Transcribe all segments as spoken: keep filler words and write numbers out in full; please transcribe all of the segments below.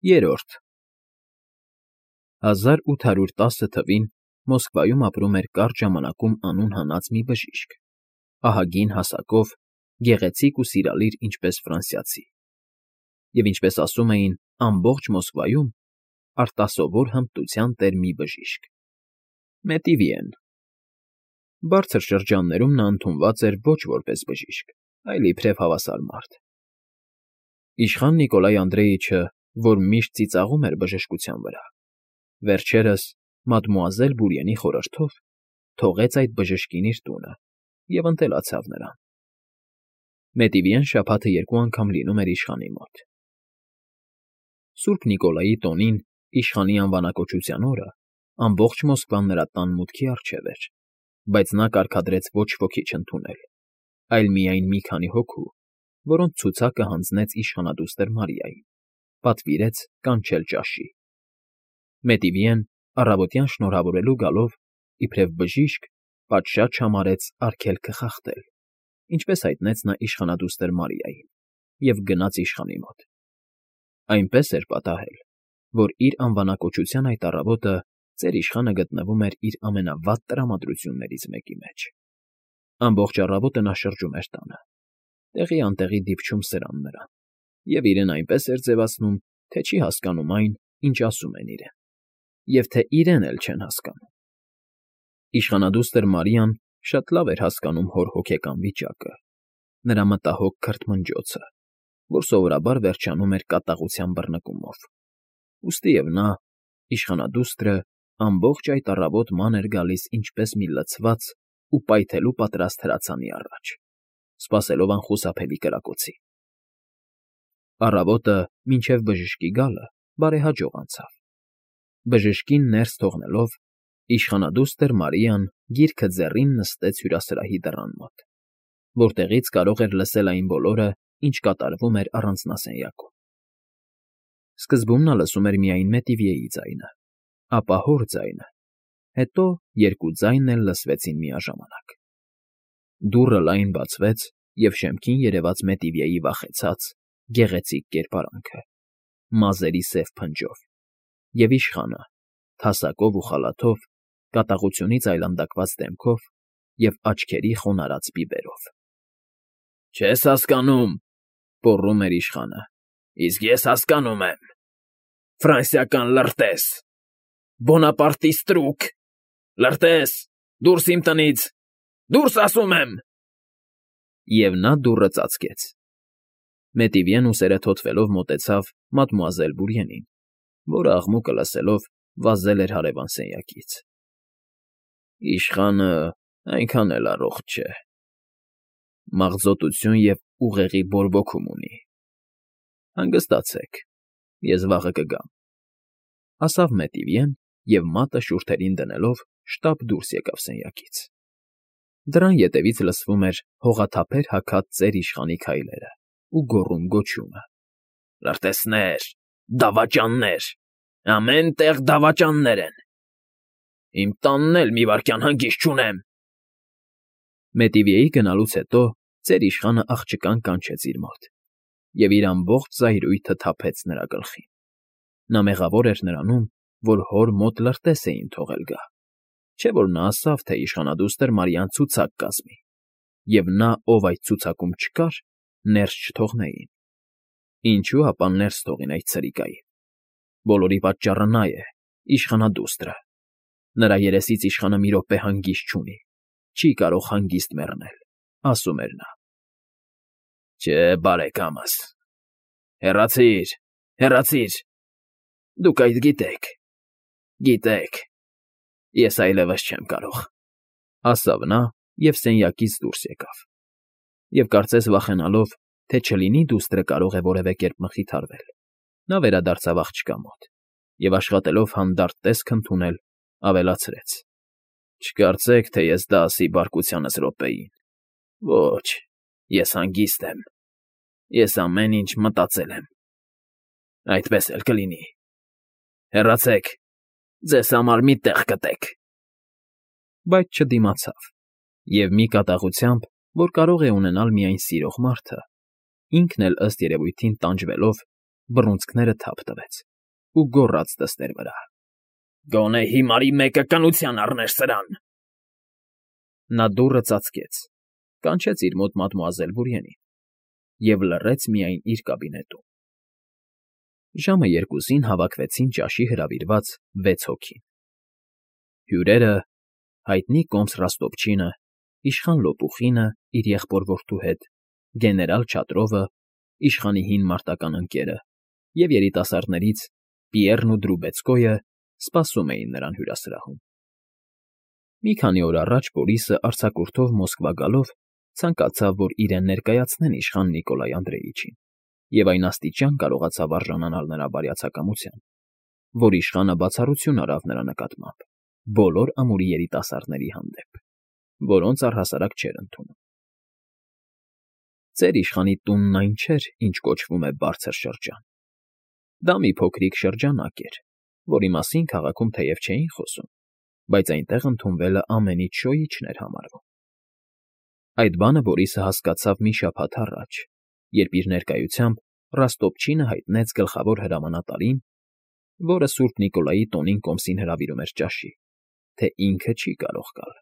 Երրորդ հազար ութ հարյուր տասը թվին Մոսկվայում ապրում էր կարճ ժամանակում անուն հանած մի բժիշկ, ահագին հասակով, գեղեցիկ ու սիրալիր ինչպես ֆրանսիացի, և ինչպես ասում էին, ամբողջ Մոսկվայում արտասովոր հմտության տեր մի բժիշկ՝ Մետիվիեն. բարձր շրջաններում նա ընդունված էր ոչ որպես բժիշկ, այլ իբրև հավասար մարդ։ Իշխան Նիկոլայ Անդրեիչը, որ միշտ ծիծաղում էր բժշկության վրա, վերջերս, մադմուազել Բուրիենի խորհրդով, թողեց այդ բժշկին իր տունը և ընտելացավ նրան։ Մետիվիեն շաբաթը երկու անգամ լինում էր իշխանի մոտ։ Սուրբ Նիկոլայի տոնին, իշխանի անվանակոչության օրը, ամբողջ Մոսկվան նրա տան մուտքի առջև էր, բայց նա կարգադրեց ոչ ոքի չընդունել, այլ միայն մի քանի հոգու, որոնց ցուցակը հանձնեց իշխանադուստր Մարիային, պատվիրեց կանչել ճաշի։ Մետիվիեն, առավոտյան շնորհավորելու գալով, իբրև բժիշկ, պատշաճ համարեց արգելքը խախտել, ինչպես հայտնեց նա իշխանադուստր Մարիային, և գնաց իշխանի մոտ։ Այնպես էր պատահել, որ իր անվանակոչության այդ առավոտը ծեր իշխանը գտնվում էր իր ամենավատ տրամադրություններից մեկի մեջ։ Ամբողջ առավոտը նա շրջում էր տանը, տեղի֊անտեղի դիպչում սրան նրան, և իրեն այնպես էր ձևացնում, թե չի հասկանում այն, ինչ ասում են իրեն, և թե իրեն էլ չեն հասկանում։ Իշխանադուստր Մարիան շատ լավ էր հասկանում հոր հոգեկան վիճակը, նրա մտահոգ քրթմնջոցը, որ սովորաբար վերջանում էր կատաղության բռնկումով, ուստիև նա, իշխանադուստրը, ամբողջ այդ առավոտ ման էր գալիս ինչպես մի լցված ու պայթելու պատրաստ հրացանի առաջ, սպասելով անխուսափելի կրակոցի։ Առավոտը, մինչև բժշկի գալը, բարեհաջող անցավ։ Բժշկին ներս թողնելով, իշխանադուստր Մարիան գիրքը ձեռին նստեց հյուրասրահի դռան մոտ, որտեղից կարող էր լսել այն բոլորը, ինչ կատարվում էր առանձնասենյակում։ Սկզբում նա լսում էր միայն Մետիվիեի ձայնը, ապա հոր ձայնը, հետո երկու ձայն էլ լսվեցին միաժամանակ։ Դուռը լայն բացվեց, և շեմքին երևաց Մետիվիեի վախեցած, գեղեցիկ կերպարանքը, մազերի սև փնջով, և իշխանը, թասակով ու խալաթով, կատաղությունից այլանդակված դեմքով և աչքերի խոնարհած բիբերով։ ֊ Չես հասկանում,֊ գոռում էր իշխանը,֊ իսկ ես հասկանում եմ… Ֆրանսիական լրտես… Բոնապարտի ստրուկ… Լրտես… Դուրս իմ տնից… Դուրս, ասում եմ… Եվ նա դուռը ծածկեց։ Մետիվիեն ուսերը թոթվելով մոտեցավ մադմուազել Բուրիենին, որը, աղմուկը լսելով, վազել էր հարևան սենյակից։ ֊ Իշխանը այնքան էլ առողջ չէ… Մաղձոտություն և ուղեղի բորբոքում ունի… Հանգստացեք, ես վաղը կգամ,֊ ասավ Մետիվիեն և մատը շուրթերին դնելով շտապ դուրս եկավ սենյակից։ Դռան ետևից լսվում էր հողաթափեր հագած ծեր իշխանի քայլերը ու գոռում֊գոչյունը. «Լրտեսներ… Դավաճաններ… Ամեն տեղ դավաճաններ են… Իմ տանն էլ մի վայրկյան հանգիստ չունեմ…» Մետիվիեի գնալուց հետո ծեր իշխանը աղջկան կանչեց իր մոտ և իր ամբողջ զայրույթը թափեց նրա գլխին։ Նա մեղավոր էր նրանում, որ հոր մոտ լրտես էին թողել գա, չէ՞ որ նա ասավ, թե իշխանադուստր Մարիան ցուցակ կազմի, և նա, ով այդ ցուցակում չկար, ներս չթողնեին։ Ինչո՞ւ ապա ներս թողին այդ սրիկային… Բոլորի պատճառը նա է, իշխանադուստրը… Նրա երեսից իշխանը մի րոպե հանգիստ չունի, չի կարող հանգիստ մեռնել, ասում էր նա։ ֊ Չէ, բարեկամս… Հեռացի՛ր, հեռացի՛ր… Դուք այդ գիտեք… Գիտեք… Ես այլևս չեմ կարող,֊ ասավ նա և սենյակից դուրս եկավ։ Եվ կարծես վախենալով, թե չլինի դուստրը կարող է որևէ կերպ մխիթարվել, նա վերադարձավ աղջկա մոտ և, աշխատելով հանդարտ տեսք ընդունել, ավելացրեց. Չկարծեք, թե ես դա ասի բարկությանս րոպեին… Ոչ, ես հանգիստ եմ… Ես ամեն ինչ մտածել եմ… Այդպես էլ կլինի… Հեռացեք… Ձեզ համար մի տեղ գտեք… Բայց չդիմացավ և, մի կատաղությամբ, որ կարող է ունենալ միայն սիրող մարդը, ինքն էլ, ըստ երևույթին, տանջվելով, բռունցքները թափ տվեց։ ու գոռաց թստեր վրա. «Գոնե հիմարի մեկը կնության առներ սրան»։ Նա դուռը ծածկեց, կանչեց իր մոտ մադմուազել Բուրիենին և լռեց միայն իր կաբինետում։ Ժամը երկուսին հավաքվեցին ճաշի հրավիրված վեց հոգի. հյուրերը, հայտնի կոմս Ռոստոպչինը, իշխան Լոպուխինը իր եղբոր֊որդու հետ, գեներալ Չատրովը, իշխանի հին մարտական ընկերը և երիտասարդներից Պիեռն ու Դրուբեցկոյը սպասում էին նրան հյուրասրահում։ Մի քանի օր առաջ Բորիսը արձակուրդով Մոսկվա գալով ցանկացավ, որ իրեն ներկայացնեն իշխան Նիկոլայ Անդրեիչին, և այն աստիճան կարողացավ արժանանալ նրա բարյացակամության, որ իշխանը բացառություն արավ նրա նկատմամբ բոլոր ամուրի երիտասարդների հանդեպ, որոնց առհասարակ չէր ընդունում։ Ձեր իշխանի տունն այն չէր, ինչ կոչվում է բարձր շրջան։ Դա մի փոքրիկ շրջանակ էր, որի մասին քաղաքում թեև չէին խոսում, բայց այնտեղ ընդունվելը ամենից շոյիչն էր համարվում։ Այդ բանը Բորիսը հասկացավ մի շաբաթ առաջ, երբ իր ներկայությամբ Ռոստոպչինը հայտնեց գլխավոր հրամանատարին, որը Սուրբ Նիկոլայի տոնին կոմսին հրավիրում էր ճաշի, թե ինքը չի կարող գալ։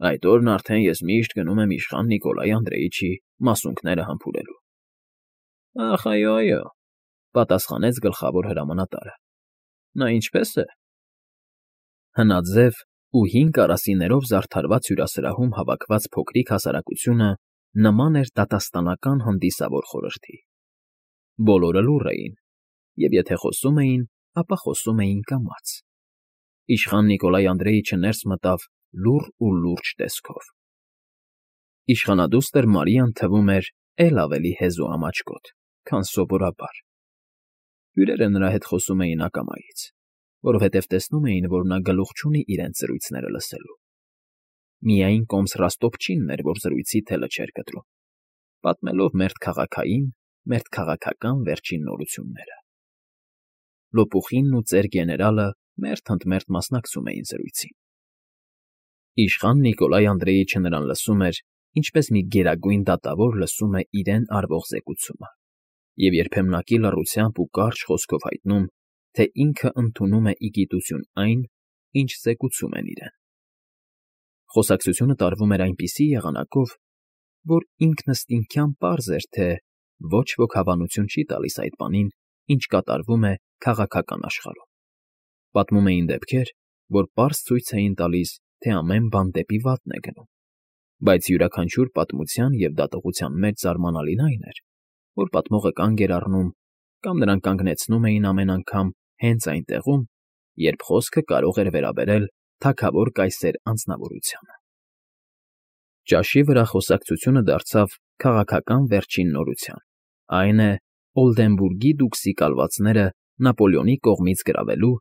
Այդ օրն արդեն ես միշտ գնում եմ իշխան Նիկոլայ Անդրեիչի մասունքները համբուրելու։ Ախ, այո, այո, պատասխանեց գլխավոր հրամանատարը։ Նա ինչպե՞ս է։ Հնաձև ու հին կարասիներով զարդարված հյուրասրահում հավաքված փոքրիկ հասարակությունը նման էր դատաստանական հանդիսավոր խորհրդի։ Բոլորը լուռ էին, և եթե խոսում էին, ապա խոսում էին կամաց։ Իշխան Նիկոլայ Անդրեիչը ներս մտավ լուռ ու լուրջ տեսքով։ Իշխանադուստր Մարիան թվում էր էլ ավելի հեզու ամաչկոտ, քան սովորաբար։ Հյուրերը նրա հետ խոսում էին ակամայից, որովհետև տեսնում էին, որ նա գլուխ չունի իրենց զրույցները լսելու։ Միայն կոմս Ռոստոպչինն էր, որ զրույցի թելը չէր կտրում, պատմելով մերթ քաղաքային, մերթ քաղաքական վերջին նորությունները։ Լոպուխինն ու ծեր գեներալը մերթ ընդ մերթ մասնակցում էին զրույցին։ Իշխան Նիկոլայ Անդրեիչը նրան լսում էր, ինչպես մի գերագույն դատավոր լսում է իրեն արվող զեկուցումը, և երբեմնակի լռությամբ ու կարճ խոսքով հայտնում, թե ինքը ընդունում է ի գիտություն այն, ինչ զեկուցում են իրեն։ Խոսակցությունը տարվում էր այնպիսի եղանակով, որ ինքնըստինքյան պարզ էր, թե ոչ ոք հավանություն չի տալիս այդ բանին, ինչ կատարվում է քաղաքական աշխարհում։ Պատմում էին դեպքեր, որ պարզ ցույց էին տալիս, թե ամեն բան դեպի վատն է գնում, բայց յուրաքանչյուր պատմության և դատողության մեջ զարմանալին այն էր, որ պատմողը կանգ էր առնում կամ նրան կանգնեցնում էին ամեն անգամ հենց այն տեղում, երբ խոսքը կարող էր վերաբերել թագավոր կայսեր անձնավորությանը։ Ճաշի վրա խոսակցությունը դարձավ քաղաքական վերջին նորության, այն է Օլդենբուրգի դուքսի կալվածները Նապոլեոնի կողմից գրավելու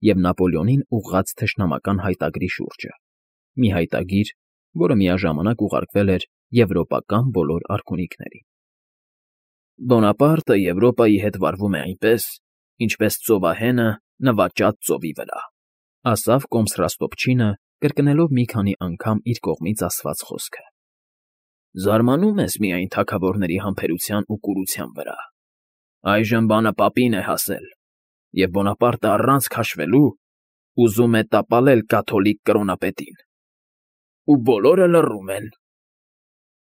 և Նապոլեոնին ուղղած թշնամական հայտագրի շուրջը, մի հայտագիր, որը միաժամանակ ուղարկվել էր եվրոպական բոլոր արքունիքներին։ Բոնապարտը Եվրոպայի հետ վարվում է այնպես, ինչպես ծովահենը նվաճած ծովի վրա, ասավ կոմս Ռոստոպչինը, կրկնելով մի քանի անգամ իր կողմից ասված խոսքը։ Զարմանում ես միայն թագավորների համբերության ու կուրության վրա։ Այժմ բանը պապին է հասել, և Բոնապարտը առանց քաշվելու ուզում է տապալել կաթոլիկ կրոնապետին։ Ու բոլորը լռում են։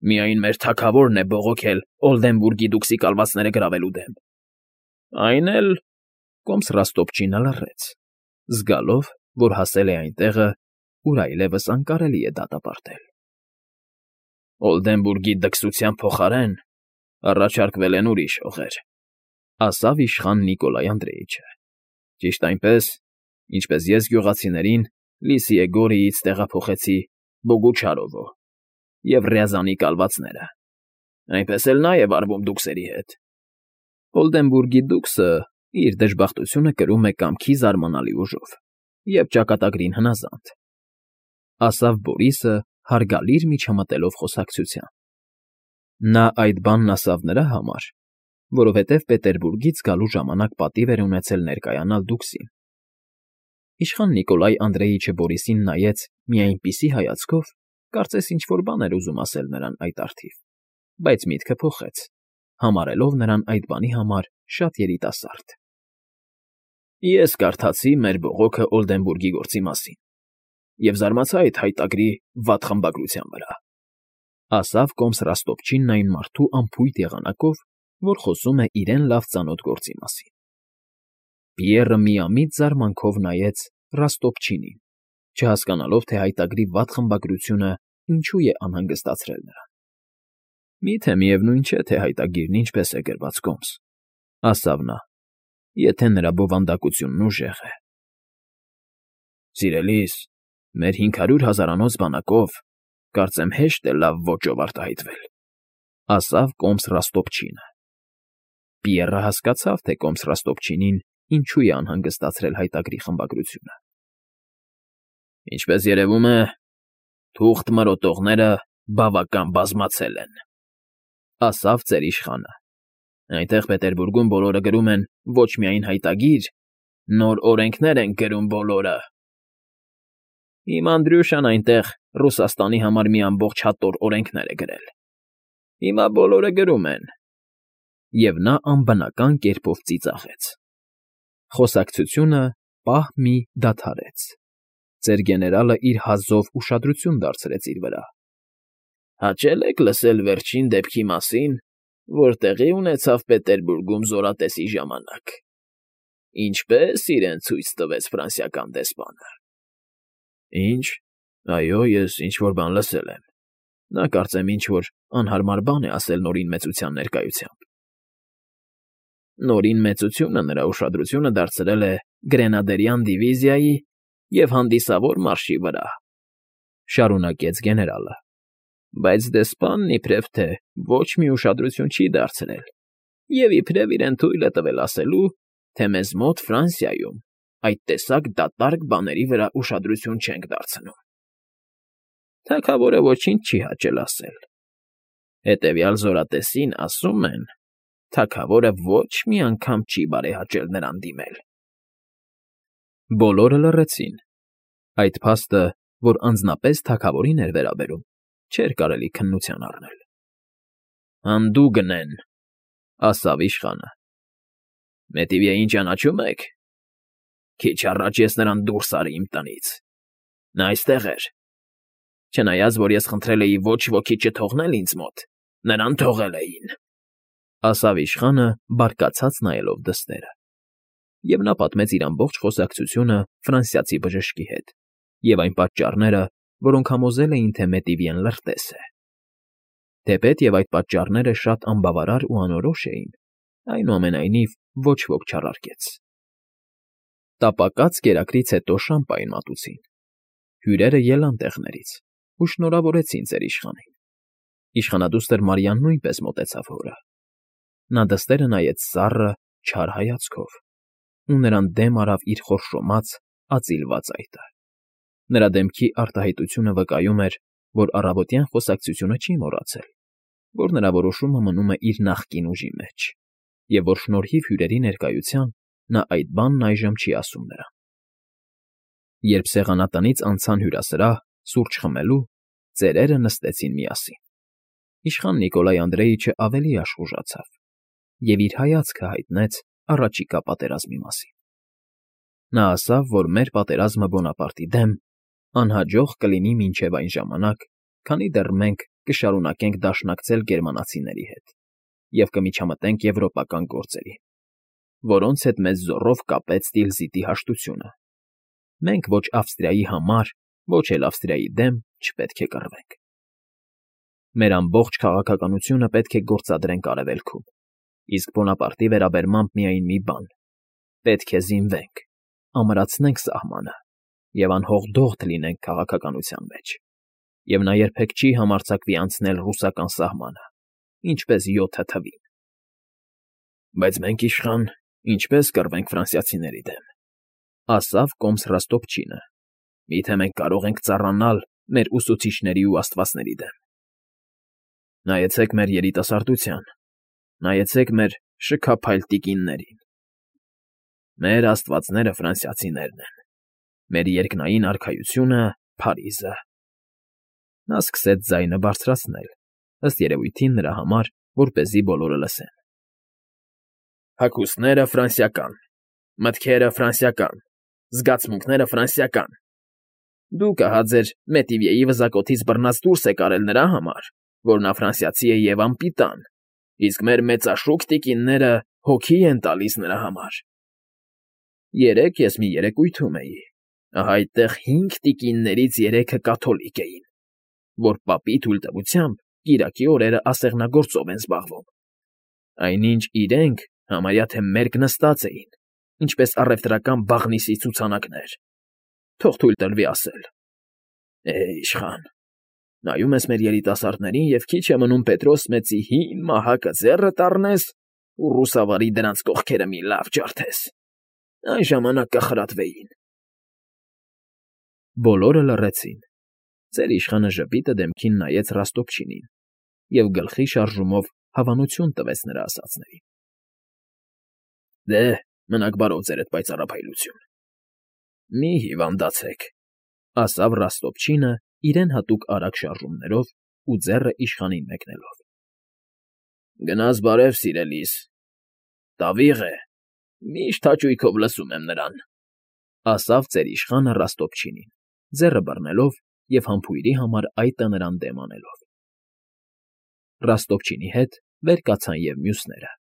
Միայն մեր թագավորն է բողոքել Օլդենբուրգի դուքսի կալվածները գրավելու դեմ։ Այն էլ… Կոմս Ռոստոպչինը լռեց, զգալով, որ հասել է այն տեղը, ուր այլևս անկարելի է դատապարտել։ Օլդենբուրգի դքսության փոխարեն առաջարկվել են ուրիշ հողեր, ասավ իշխան Նիկոլայ Անդրեիչը, ճիշտ այնպես, ինչպես ես գյուղացիներին Լիսիե Գորիից տեղափոխեցի Բոգուչարովո և Ռյազանի կալվածները, այնպես էլ նա է վարվում դուքսերի հետ։ Օլդենբուրգի դուքսը իր դժբախտությունը կրում է կամքի զարմանալի ուժով և ճակատագրին հնազանդ, ասավ Բորիսը հարգալից միջամտելով խոսակցության։ Նա այդ բանն ասավ նրա համար, որովհետև Պետերբուրգից գալու ժամանակ պատիվ էր ունեցել ներկայանալ դուքսին։ Իշխան Նիկոլայ Անդրեիչը Բորիսին նայեց մի այնպիսի հայացքով, կարծես ինչ֊որ բան էր ուզում ասել նրան այդ առթիվ, բայց միտքը փոխեց, համարելով նրան այդ բանի համար շատ երիտասարդ։ Ես կարդացի մեր բողոքը Օլդենբուրգի գործի մասին և զարմացա այդ հայտագրի վատ խմբագրության վրա,֊ ասավ կոմս Ռոստովչինն այն մարդու անփույթ եղանակով, որ խոսում է իրեն լավ ծանոթ գործի մասին։ Պիեռը միամիտ զարմանքով նայեց Ռոստովչինին, չհասկանալով, թե հայտագրի վատ խմբագրությունը ինչու է անհանգստացրել նրան։ Միթե միևնույն չէ, թե հայտագիրն ինչպես է գրված, կոմս,֊ ասավ նա, եթե նրա բովանդակությունն ուժեղ է։ Սիրելիս, մեր հինգ հարյուր հազարանոց բանակով կարծեմ հեշտ է լավ ոճով արտահայտվել,֊ ասավ կոմս Ռոստովչինը։ Պիեռը հասկացավ, թե կոմս Ռոստովչինին ինչու է անհանգստացրել հայտագրի խմբագրությունը։ Ինչպես երևում է, թուղթ մրոտողները բավական բազմացել են,֊ ասավ ծեր իշխանը։ Այնտեղ Պետերբուրգում բոլորը գրում են ոչ միայն հայտագիր, նոր օրենքներ են գրում բոլորը։ Իմ Անդրյուշան այնտեղ Ռուսաստանի համար մի ամբողջ հատոր օրենքներ է գրել։ Հիմա բոլորը գրում են… Եվ նա անբնական կերպով ծիծաղեց։ Խոսակցությունը պահ մի դադարեց։ Ծեր գեներալը իր հազով ուշադրություն դարձրեց իր վրա։ Հաճե՞լ եք լսել վերջին դեպքի մասին, որ տեղի ունեցավ Պետերբուրգում զորատեսի ժամանակ, ինչպես իրեն ցույց տվեց ֆրանսիական դեսպանը։ Ինչ, այո, ես ինչ֊որ բան լսել եմ։ Նա կարծեմ ինչ֊որ անհարմար բան է ասել Նորին մեծության ներկայությամբ։ Նորին մեծությունը նրա ուշադրությունը դարձրել է Գրենադերյան դիվիզիայի և հանդիսավոր մարշի վրա,֊ շարունակեց գեներալը։ Բայց դեսպանն իբրև թե ոչ մի ուշադրություն չի դարձրել և իբրև իրեն թույլ է տվել ասելու, թե մեզ մոտ Ֆրանսիայում այդ տեսակ դատարկ բաների վրա ուշադրություն չենք դարձնում։ Թագավորը ոչինչ չի հաճել ասել։ Հետևյալ զորատեսին, ասում են, թագավորը ոչ մի անգամ չի բարեհաճել նրան դիմել։ Բոլորը լռեցին։ Այդ փաստը, որ անձնապես թագավորին էր վերաբերում, չէր կարելի քննության առնել։ Հանդուգն են,֊ ասավ իշխանը։ Մետիվյեին ճանաչում եք։ Քիչ առաջ ես նրան դուրս արի իմ տնից։ Նա այստեղ էր։ Չնայած, որ ես խնդրել էի ոչ ոքի չթողնել ինձ մոտ, նրան թողել էին,֊ ասավ իշխանը, բարկացած նայելով դստերը։ Եվ նա պատմեց իր ամբողջ խոսակցությունը ֆրանսիացի բժշկի հետ և այն պատճառները, որոնք համոզել էին, թե Մետիվյեն լրտես է։ Թեպետև այդ պատճառները շատ անբավարար ու անորոշ էին, այնուամենայնիվ ոչ ոք չառարկեց։ Տապակած կերակրից հետո շամպայն մատուցին։ Հյուրերը ելան տեղներից ու շնորհավորեցին ծեր իշխանին։ Իշխանադուստր Մարիան նույնպես մոտեցավ հորը։ Նա դստերը նայեց սառը, չար հայացքով, ու նրան դեմ արավ իր խորշոմած, ածիլված այտը։ Նրա դեմքի արտահայտությունը վկայում էր, որ առավոտյան խոսակցությունը չի մոռացել, որ նրա որոշումը մնում է իր նախկին ուժի մեջ, և որ շնորհիվ հյուրերի ներկայության նա այդ բանն այժմ չի ասում նրան։ Երբ սեղանատնից անցան հյուրասրահ, սուրճ խմելու, ծերերը նստեցին միասին։ Իշխան Նիկոլայ Անդրեիչը ավելի աշխուժացավ և իր հայացքը հայտնեց առաջիկա պատերազմի մասին։ Նա ասավ, որ մեր պատերազմը Բոնապարտի դեմ անհաջող կլինի մինչև այն ժամանակ, քանի դեռ մենք կշարունակենք դաշնակցել գերմանացիների հետ և կմիջամտենք եվրոպական գործերի, որոնց հետ մեզ զոռով կապեց Տիլզիտի հաշտությունը։ Մենք ոչ Ավստրիայի համար, ոչ էլ Ավստրիայի դեմ չպետք է կռվենք։ Մեր ամբողջ քաղաքականությունը պետք է գործադրենք Արևելքում, իսկ Բոնապարտի վերաբերմամբ միայն մի բան. պետք է զինվենք, ամրացնենք սահմանը և անհողդողդ լինենք քաղաքականության մեջ, և նա երբեք չի համարձակվի անցնել ռուսական սահմանը, ինչպես յոթը թվին։ Բայց մենք, իշխան, ինչպե՞ս կռվենք ֆրանսիացիների դեմ,֊ ասավ կոմս Ռոստովչինը։ Միթե մենք կարող ենք ծառանալ մեր ուսուցիչների ու աստվածների դեմ։ Նայեցեք մեր երիտասարդության, նայեցեք մեր շքափայլ տիկիններին։ Մեր աստվածները ֆրանսիացիներն են, մեր երկնային արքայությունը՝ Փարիզը։ Նա սկսեց ձայնը բարձրացնել, ըստ երևույթին նրա համար, որպեսզի բոլորը լսեն։ Հագուստները ֆրանսիական, Մտքերը ֆրանսիական, զգացմունքները ֆրանսիական։ Դու կահա ձեր Մետիվյեի վզակոթից բռնած դուրս եք արել նրա համար, որ նա ֆրանսիացի է և անպիտան, իսկ մեր մեծաշուք տիկինները հոգի են տալիս նրա համար։ Երեկ ես մի երեկույթում էի, ահա այդտեղ հինգ տիկիններից երեքը կաթոլիկ էին, որ պապի թույլտվությամբ կիրակի օրերը ասեղնագործով են զբաղվում, այնինչ իրենք համարյա թե մերկ նստած էին, ինչպես առևտրական բաղնիցի ցուցանակներ, թող թույլ տրվի ասել։ Է՜, իշխան, նայում ես մեր երիտասարդներին և քիչ է մնում Պետրոս մեծի հին մահակը ձեռդ առնես ու ռուսավարի դրանց կողքերը մի լավ ջարդես, այն ժամանակ կխրատվեին։ Բոլորը լռեցին։ Ծեր իշխանը ժպիտը դեմքին նայեց Ռոստոպչինին և գլխի շարժումով հավանություն տվեց նրա ասածներին։ Դե, մնաք բարով ձերդ պայծառափայլություն։ Մի հիվանդացեք, ասավ Ռոստոպչինը իրեն հատուկ արագ շարժումներով ու ձեռը իշխանին մեկնելով։ Գնաս բարև, սիրելիս, տավիղ է, միշտ հաճույքով լսում եմ նրան, ասավ ծեր իշխանը Ռոստոպչինին, ձեռը բռնելով և համբույրի համար այտը նրան դեմ անելով։ Ռոստոպչինի հետ վեր կացան և մյուսները։